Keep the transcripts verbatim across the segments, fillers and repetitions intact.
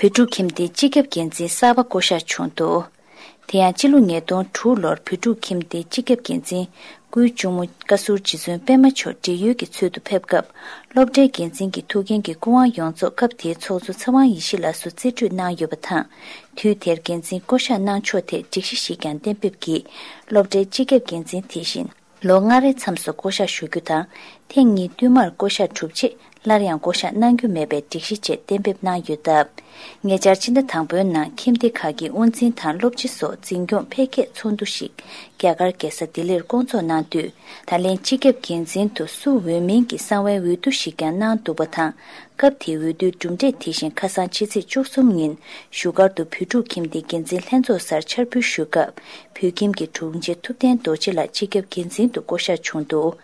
བོད་ཕྲུག་ཁྱིམ་སྡེའི་སྤྱི་ཁྱབ་འགན་འཛིན་གསར་པ་བསྐོ་གཞག་བྱུང་འདུག་དེ་ཡང་སྤྱི་ལོ་ཉིས་སྟོང་དྲུག་ལོར་བོད་ཕྲུག་ཁྱིམ་སྡེའི་སྤྱི་ཁྱབ་འགན་འཛིན་སྐུའི་གཅུང་མོ་བཀའ་ཟུར་རྗེ་བཙུན་པད་མ་མཆོག་བགྲེས་ཡོལ་གྱི་ཚུལ་དུ་ཕེབས་སྐབས། སློབ་གྲྭའི་འགན་འཛིན་གྱི་ཐུགས་འགན་གྱི་སྐུ་དབང་ཡོངས་རྫོགས་སྐབས་དེའི་ཚོགས་གཙོ་ཚེ་དབང་ཡེ་ཤེས་ལགས་སུ་རྩིས་སྤྲོད་གནང་ཡོད་པ་དང་། དུས་དེར་འགན་འཛིན་བསྐོ་གཞག་གནང་ཕྱོགས་ཐད་སྒྲིག་གཞི་ཞིག་ཀྱང་གཏན་འབེབས་ཀྱིས། སློབ་གྲྭའི་སྤྱི་ཁྱབ་འགན་འཛིན་དེ་བཞིན། ལོ་ལྔ་རེའི་མཚམས་སུ་བསྐོ་གཞག་ཞུ་རྒྱུ་དང་། ཐེངས་གཉིས་བསྟུད་མར་བསྐོ་གཞག་གྲུབ་རྗེས་སླར་ཡང་བསྐོ་གཞག་གནང་རྒྱུ་མེད་པའི་སྒྲིག་གཞི་བཅས་གཏན་འབེབས་གནང་ཡོད་སྟབས། ཉེ་ཆར་ཕྱི་ཟླ་དང་པོའི་ནང་ཁྱིམ་སྡེ་ཁག་གི་དབུ་འཛིན་དང་སློབ་སྤྱི་སོགས་འཛིན་སྐྱོང་འཕེལ་རྒྱས་ཚོགས་འདུ་ཞིག་རྒྱ་གར་རྒྱལ་ས་ལྡི་ལིར་བསྐོང་ཚོགས་གནང་དུས། ད་ལན་སྤྱི་ཁྱབ་འགན་འཛིན་དུ་སུ་འོས་མིན་གྱི་གསང་བའི་འོས་བསྡུ་ཞིག་ཀྱང་གནང་འདུག་པ་དང་། སྐབས་དེའི་འོས་བསྡུའི་གྲུབ་འབྲས་དེ་བཞིན་ཁ་སང་ཕྱི་ཚེས་བཅུ་གསུམ་ཉིན་བཞུགས་སྒར་དུ་བོད་ཕྲུག་ཁྱིམ་སྡེའི་འགན་འཛིན་ལྷན་ཚོགས་སར་འཆར་འབུལ་ཞུས་སྐབས། བོད་ཁྱིམ་གྱི་དྲུང་ཆེ་ཐུབ་བསྟན་རྡོ་རྗེ་ལགས་སྤྱི་ཁྱབ་འགན་འཛིན་དུ་བསྐོ་གཞག་བྱུང་འདུག་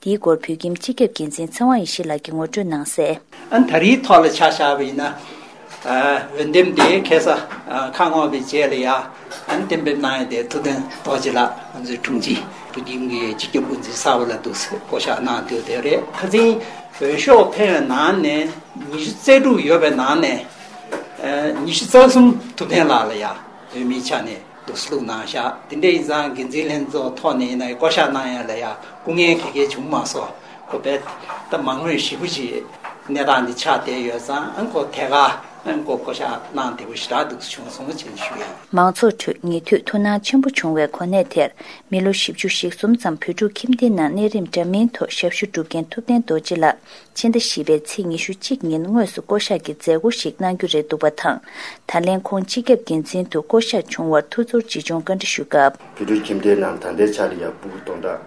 དེའི་སྐོར་བོད་ཁྱིམ་སྤྱི་ཁྱབ་འགན་འཛིན་ཚེ་དབང་ཡེ་ཤེས་ལགས་ཀྱིས་ངོ་སྤྲོད་གནང་གསལ། ཨ་ནི་ད་རེས་ཐོག་ལ་ཆ་བཞག་པ་ཡིན་ན། ཨ་འོས་འདེམས་དེ་ཁ་སང་ཨ་ཁ་སྔོག་པའི་རྗེས་ལ་ཡ། ཨ་ནི་གཏན་འབེབས་གནང་ཡ་དེ་ཐུབ་བསྟན་རྡོ་རྗེ་ལགས་ང་ཚོའི་དྲུང་ཆེ་བོད་ཁྱིམ་གྱི་སྤྱི་ཁྱབ་འགན་འཛིན་གསར་པ་ལ་འདུག་སེ་བསྐོ་གཞག་གནང་འདུག་དེ་རེད། ཁ་སང་འོས་ཤོག་འཕེན་པའི་ནང་ནས་ཉི་ཤུ་རྩ་དྲུག་ཡོད་པའི་ནང་ནས། ཨ་ཉི་ཤུ་རྩ་གསུམ་ཐུབ་བསྟན་ལགས་ལ་ཡ་འོས་མིའི་ཆ་ནས་འདུག་སེ་བླུགས་གནང་བཞག་དེ་འདྲ་ཡིན་ཙང་འགན་འཛིན་ལྷན་ཚོགས་ཐོག་ནས་ཡིན་ན་བསྐོ་གཞག་གནང་ཡ་ལ་ཡ་སྐུ་ངལ་ག་གེ་བྱུང་མ་སོང་། ཁོ་པས་ད་མང་མོས་ཞེ་པོ་ཅིག་གནས་སྟངས་འདི་ཆགས་བསྡད་ཡོད་ཙང་། ཨ་ཁོ་ཐད་ཀར་ཨ་ཁོ་བསྐོ་གཞག་གནང་བདེ་པོ་ཞེ་དྲག་འདུག་སེ་བྱུང་སོང་ཞེས་ཞུ་ཡ་ཡིན། མང་ཚོགས་ཁྲོད་ཉེ་དུས་ཐུགས་སྣང་ཆེན་པོ་བྱུང་བའི་གོ་གནས་དེར། མི་ལོ་བཞི་བཅུ་ཞེ་གསུམ་ཙམ་བོད་ཕྲུག་ཁྱིམ་སྡེའི་ནང་གནས་རིམ་འདྲ་མིན་ཐོག་ཞབས་ཞུ་སྒྲུབ་མཁན་ཐུབ་བསྟན་རྡོ་རྗེ་ལགས། ཕྱི་ཟླ་བཞི་པའི་ཚེས་ཉི་ཤུ་གཅིག་ཉིན་དངོས་སུ་བསྐོ་གཞག་གི་མཛད་སྒོ་ཞིག་གནང་རྒྱུ་རེད་འདུག་པ་དང་། ད་ལན་ཁོང་སྤྱི་ཁྱབ་འགན་འཛིན་དུ་བསྐོ་གཞག་བྱུང་བར་ཐུགས་ཚོར་ཇི་བྱུང་བཀའ་འདྲི་ཞུ་སྐབས། བོད་ཕྲུག་ཁྱིམ་སྡེའི་ནང་ད་ལྟའི་ཆ་ལ་ཡ་སྤུ་གུ་སྟོང་ཕྲག་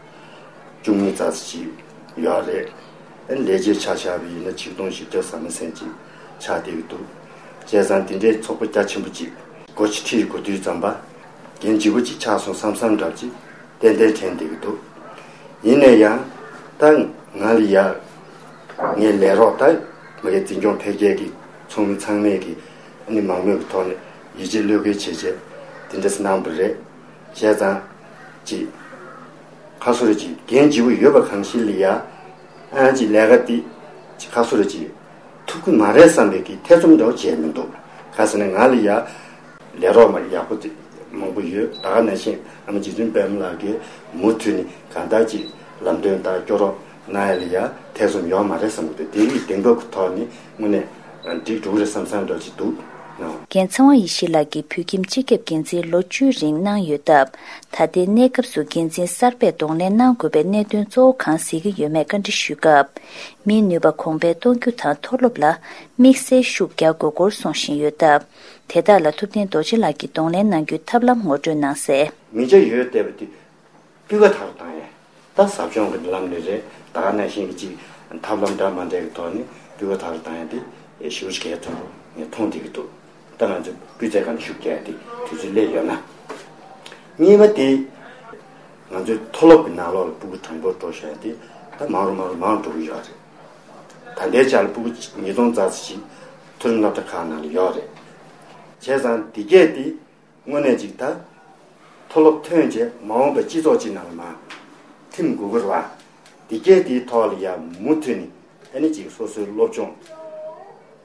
བཅུ་གཉིས་ཙམ་ཞིག་ཡོད་རེད། ཨ་ནི་ལས་བྱེད་ཆ་བཞག་པ་ཡིན་ན་ཆིག་སྟོང་བཞི་བརྒྱ་ཟ་མ་ཟིན་ཅིག་ཆགས་བསྡད་ཀྱི་འདུག་བྱས་ཙང་དེ་འདྲའི་ཚོགས་པ་རྒྱ་ཆེན་པོ་ཅིག་སྒོ་ཕྱི་ཁྲིད་དགོས་དུས་ཙམ་པ། འགན་ལྗིད་པོ་ཅིག་ཆགས་སོང་བསམ་བསམ་འདྲ་ཅིག་ཏན་ཏན་དྲན་བསྡད་ཀྱི་འདུག་ཡིན་ན་ཡང་ད་ང་ལ་ཡ་ངའི་ལས་རོགས་ད་མ་གི་འཛིན་སྐྱོང་འཕེལ་རྒྱས་ཀྱི་ཚོགས་མི་ཚང་མས་ཀྱི་ཨ་ནི་མང་མོས་ཀྱི་ཐོག་ནས་ཡིད་ཆེས་བློས་འགེལ་བྱས་བྱས་དེ་འདྲ་གནང་བ་རེད། བྱས་ཙང་ཅིག་ཁ་སོ་རེ་ཅིག་འགན་ལྗིད་པོ་ཡོད་པ་གང་ཞིག་ལ་ཡ་ཨ་ཅིག་ལས་ཀ་དེ་ཅིག་ཁ་སོ་རེ་ཅིག་ཐུབ་ཀྱི་མ་རེད་བསམ་པའི་གི་ཐེ་ཚོམ་འདྲ་བོ་བྱས་མི་འདུག་ག་ཟེར་ན་ང་ལ་ཡ་ལས་རོགས་མ་ཡག་པོ་དེ་མང་པོ་ཡོད། ད་ག་ནང་བཞིན་ཨ་མ་རྗེ་བཙུན་པད་མ་ལགས་ཀྱིས་མུ་མཐུད་ནས་གང་ལྟར་ཅིག་ལམ་སྟོན་དང་སྐྱོ་རོགས་གནང་ཡ་ལ་ཡ་ཐེ་ཚོམ་ཡོད་མ་རེད་བསམ་གི་འདུག་དེ་ཡི་གདེང་འབོད་ཀྱི་ཐོག་ནས་དངོས་གནས་འགྲིག་འགྲོ་གི་རེད་བསམ་བསམ་འདྲ་ཅིག་འདུག་ནོ། རྒན་ཚེ་དབང་ཡེ་ཤེས་ལགས་ཀྱིས་བོད་ཁྱིམ་སྤྱི་ཁྱབ་འགན་འཛིན་ལོ་བཅུའི་རིང་གནང་ཡོད་སྟབས། ད་ལྟའི་གནས་སྐབས་སུ་འགན་འཛིན་གསར་པས་གདོང་ལེན་གནང་དགོས་པའི་གནད་དོན་གཙོ་བོ་གང་གཟིགས་ཀྱི་ཡོད་མེད་བཀའ་འདྲི་ཞུས་སྐབས། མིའི་ནུས་པ་གོང་འཕེལ་གཏོང་རྒྱུ་དང་མཐོ་སློབ་ལ་དམིགས་བསལ་ཤུགས་རྒྱག་དགོས་སྐོར་གསུངས་བཞིན་ཡོད་སྟབས། དེ་དག་ལ་ཐུབ་བསྟན་རྡོ་རྗེ་ལགས་ཀྱིས་གདོང་ལེན་གནང་རྒྱུའི་ཐབས་ལམ་ངོ་སྤྲོད་གནང་གསལ། མི་ཆ་ཡོད་བལྟས་པ་དེ་སྤུས་ཀ་དག་ཏུ་བཏང་ཡས། ད་ཟབ་སྦྱོང་གི་ལམ་ནས་རེད། ད་ག་ནང་བཞིན་གྱི་ཅིག་ཐབས་ལམ་འདྲ་མ་འདྲ་གི་ཐོག་ནས་སྤུས་ཀ་དག་ཏུ་བཏང་ཡས་དེ་ཞེ་པོ་ཅིག་གལ་ཆེན་པོ་ངས་མཐོང་བསྡད་ཀྱི་འདུག་ད་ང་ཚོས་སྤུས་ཚད་སྒང་ནས་ཤུགས་རྒྱག་ཡས་དེ་དུས་ཚོད་སླེབས་ཡོད་ན། གཉིས་པ་དེ། ང་ཚོའི་མཐོ་སློབ་ཀྱི་ནང་ལོགས་ལ་སྤུ་གུ་གྲངས་འབོར་འགྲོ་བཞིན་དེ་ད་མང་རུ་མང་རུ་མང་རུ་འགྲོ་གི་ཡོད་རེད། ད་ལྟའི་ཆར་ལ་སྤུ་གུ་ཉིས་སྟོང་ཙམ་ཞིག་མཐོ་རིམ་སློབ་གྲྭ་ཁག་ནང་ལ་ཡོད་རེད། བྱས་ཙང་དེ་གས་དེ་དངོས་གནས་ཅིག་ད་མཐོ་སློབ་ཐོན་རྗེས་མ་འོངས་པའི་སྤྱི་ཚོགས་ཅིག་ནང་ལ་མར་ཐིམ་དགོས་ཀྱི་རེད་བ། དེ་གས་དེའི་ཐོག་ལ་ཡང་མུ་མཐུད་ནས་ཨ་ནི་ཅིག་སོ་སོའི་སློབ་སྦྱོང་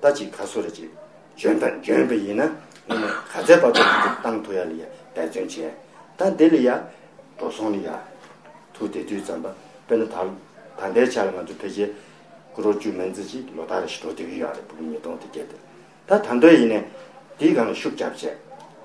ད་ཅིག་ག་སོ་རེ་ཅིག་འཇོན་པ་འཇོན་པ་ཡིན་ན་དངོས་གནས་ག་ཚད་བར་དུ་ང་ཚོས་བཏང་ཐུབ་ཡ་ལ་ཡ་འབད་བརྩོན་བྱས། ད་འདི་ལ་ཡ་འགྲོ་སོང་ལ་ཡ་ཐུག་བསྡད་དུས་ཙམ་པ་དཔེར་ན་ད་ད་ལྟའི་ཆ་ལ་ང་ཚོ་ཕལ་ཆེར་སྐུ་རོགས་བཅུ་མིན་ཙམ་ཅིག་ལོ་ལྟར་རེ་བཞིན་འགྲོ་བསྡད་ཀྱི་ཡོད་རེད། སྤུ་གུ་ཉིས་སྟོང་དེ་བརྒྱད་དེ་ད་ད་འདོད་ཡིན་ནས་དེའི་སྒང་ལ་ཤུགས་རྒྱབ་བྱས་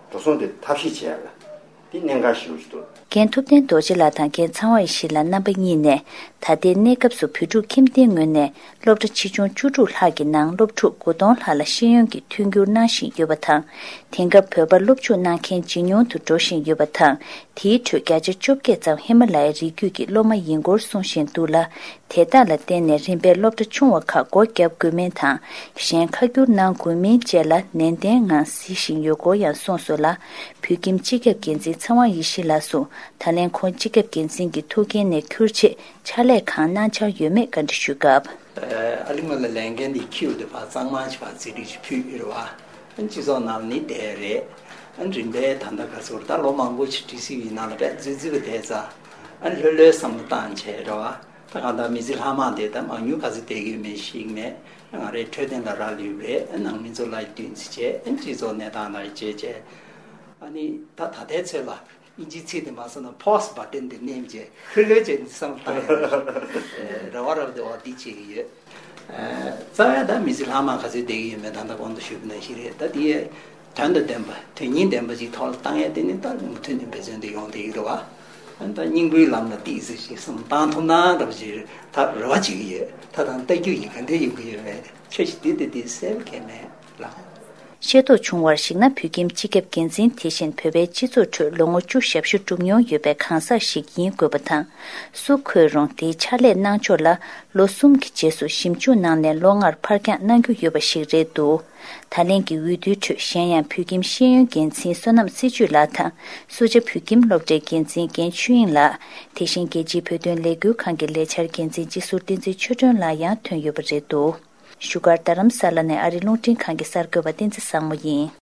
འགྲོ་སོང་དེ་ཐབས་ཤེས་བྱས་ལ། འདི་གནད་འགག་ཞེ་པོ་ཞིག་འདུག་རྒན་ཐུབ་བསྟན་རྡོ་རྗེ་ལགས་དང་རྒན་ཚེ་དབང་ཡེ་ཤེས་ལགས་རྣམ་པ་གཉིས་ནས། ད་ལྟའི་གནས་སྐབས་སུ་བོད་ཕྲུག་ཁྱིམ་སྡེའི་ངོས་ནས་སློབ་གྲྭ་ཆེ་ཆུང་བཅུ་དྲུག་ལྷག་གི་ནང་སློབ་ཕྲུག་དགུ་སྟོང་ལྷག་ལ་ཤེས་ཡོན་གྱི་མཐུན་འགྱུར་གནང་བཞིན་ཡོད་པ་དང་། དེང་སྐབས་བོད་པར་སློབ་འཇུག་གནང་མཁན་ཇེ་ཉུང་དུ་འགྲོ་བཞིན་ཡོད་པ་དང་། དེའི་ཁྲོད་བརྒྱ་ཆ་བཅོ་བརྒྱད་ཙམ་ཧི་མ་ལ་ཡའི་རི་རྒྱུད་ཀྱི་སློབ་མ་ཡིན་སྐོར་གསུང་བཞིན་འདུག་ལ། དེ་དག་ལ་བརྟེན་ནས་རིམ་པས་སློབ་གྲྭ་ཆུང་བ་ཁག་སྒོ་བརྒྱབ་དགོས་མིན་དང་། གཞན་ཁ་བསྒྱུར་གནང་དགོས་མིན་བཅས་ལ་ནན་ཏན་ངང་གཟིགས་བཞིན་ཡོད་སྐོར་ཡང་གསུངས་སོང་ལ། བོད་ཁྱིམ་སྤྱི་ཁྱབ་འགན་འཛིན་ཚེ་དབང་ཡེ་ཤེས་ལགས་སུ་ད་ལན་ཁོང་སྤྱི་ཁྱབ་འགན་འཛིན་གྱི་ཐུགས་འགན་ནས་འཁུར་ཆེད་ཕྱག་ལས་གང་གནང་འཆར་ཡོད་མེད་བཀའ་འདྲི་ཞུས་སྐབས། ཨ་ལི་མ་ལ་ལས་འགན་འདི་འཁྱེར་ཡོད་དུས་ཕར་གཙང་མ་ཞིག་ཕར་རྩིས་སྒྲིག་ཅིག་ཕུལ་ཡོད་རེད་བ། སྤྱི་ཚོགས་ནང་ལ་ནི་བསྡད་རེད། རིམ་པས་ད་ལྟ་ག་ཚོད་ད་ལོ་མང་པོ་ཞིག་ཌི་སི་ཡི་ནང་ལ་བས་རྩིས་རྩིས་པ་བསྡད་ཙང་། ལྷོད་ལྷོད་བསམ་བློ་བཏང་བྱས་རེད་བ། ད་གང་ལྟར་མི་ཚེ་ལྷག་མ་དེ་ད་མང་ཉུང་ག་ཚོད་བསྡད་ཀྱི་ཡོད་མེད་ཤེས་ཀྱི་མེད། ང་རའི་འཕྲོད་བསྟེན་ལ་རག་ལུས་པའི་ནང་མི་ཚོ་ལ་བསྟུན་ཚེ་བྱས། སྤྱི་ཚོགས་གནས་སྟངས་ལ་བྱས་བྱས། ཨ་ནི་ད་ད་ལྟའི་ཚོད་ལ་ཨིན་ཇིའི་ཚིག་དེ་མ་སོང་ན་pause button དེ་མནན་བྱས་ཧུར་ལེ་བྱས་ནས་བསམ་བློ་བཏང་ཡོད། རེ་བ་རབ་དེ་འོ་འདི་བྱེད་ཀྱི་ཡོད། རྩ་བའི་ད་མི་ཚེ་ལྷག་མ་ག་ཚོད་བསྡད་ཀྱི་ཡོད་མེད་ད་ལྟ་གོང་དུ་ཞུས་པ་ནང་བཞིན་རེད། ད་དེའི་དོན་དང་ལྡན་པ་དོན་སྙིང་ལྡན་པ་ཅིག་ཐོག་ལ་བཏང་ཡ་དེ་ནི་ད་མུ་མཐུད་ནས་འབད་བརྩོན་དེ་ཡོང་བསྡད་ཀྱི་རེད་བ། ད་སྙིང་པོའི་ལམ་ལ་ཏིག་ཙམ་ཞིག་བསམ་བཏང་ཐུབ་ན་འདྲ་པོ་ཅིག་ད་རེ་བ་བྱེད་ཀྱི་ཡོད། ད་དང་ལྟ་རྒྱུ་ཡིན་ག་འདྲ་ཡོང་གི་ཡོད་མེད་ཁྱོད་ཀྱིས་འདི་ལྟ་འདི་གསལ་པོ་གང་མེད་ལ། ཤེས་རྟོགས་བྱུང་བར་གཞིགས་ན། བོད་ཁྱིམ་སྤྱི་ཁྱབ་འགན་འཛིན་དེ་བཞིན་བོད་པའི་སྤྱི་ཚོགས་ཁྲོད་ལོ་ངོ་བཅུ་ཞབས་ཞུ་བསྒྲུབས་མྱོང་ཡོད་པའི་གང་ཟག་ཞིག་ཡིན་དགོས་པ་དང་། སུ་འཁོད་རུང་དེའི་ཕྱག་ལས་གནང་ཕྱོགས་ལ་ལོ་གསུམ་གྱི་རྗེས་སུ་ཞིབ་འཇུག་གནང་ནས་ལོ་ལྔར་ཕར་འགྱངས་གནང་རྒྱུ་ཡོད་པ་ཞིག་རེད་འདུག་ད་ལན་གྱི་འོས་བསྡུའི་ཁྲོད་གཞན་ཡང་བོད་ཁྱིམ་ཤེས་ཡོན་འགན་འཛིན་བསོད་ནམས་སྲིད་ཇུས་ལགས་དང་། སུ་ཇཱ་བོད་ཁྱིམ་སློབ་གྲྭའི་འགན་འཛིན་རྒན་ཆོས་དབྱིངས་ལགས། དེ་བཞིན་རྒྱལ་སྤྱིའི་བོད་དོན་ལས་འགུལ་ཁང་གི་ལས་འཆར་འགན་འཛིན་སྤྱི་ཟུར་བསྟན་འཛིན་ཆོས་སྒྲོན་ལགས་ཡང་ཐོན་ཡོད་པ་རེད་འདུག་བཞུགས་སྒར་རྡ་རམ་ས་ལ་ནས་ཨ་རིའི་རླུང་འཕྲིན་ཁང་གི་གསར་འགོད་པ་བསྟན་འཛིན་བཟང་མོ་ཡིན།